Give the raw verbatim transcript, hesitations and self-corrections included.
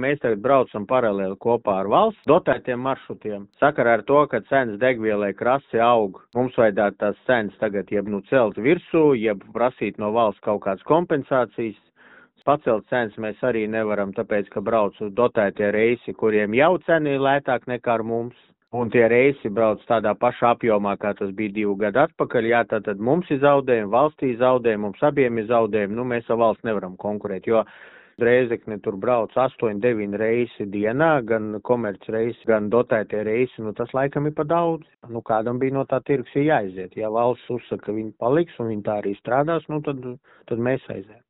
Mēs tagad braucam paralēli kopā ar valsts dotētiem maršrutiem. Sakarā ar to, ka cenas degvielai krasi aug, mums vajadzētu tās cenas tagad jeb nu celt virsū, jeb prasīt no valsts kaut kādas kompensācijas. Pacelt cenas mēs arī nevaram, tāpēc, ka brauc uz dotētie reisi, kuriem jau cena ir lētāk nekā ar mums. Un tie reisi brauc tādā pašā apjomā, kā tas bija divu gadu atpakaļ. Jā, tātad mums ir zaudējumi, valstī zaudējumi, mums abiem ir zaudējumi. Nu, mēs ar valsts nevaram konkurēt, jo Rēzekne tur brauc astoņi, deviņi reisi dienā, gan komerc reisi, gan dotētie reisi. Nu, tas laikam ir pa daudz. Nu, kādam bija no tā tirgus jāiziet. Ja valsts uzsaka, ka viņi paliks un viņi tā arī strādās, nu, tad, tad mēs aiziet.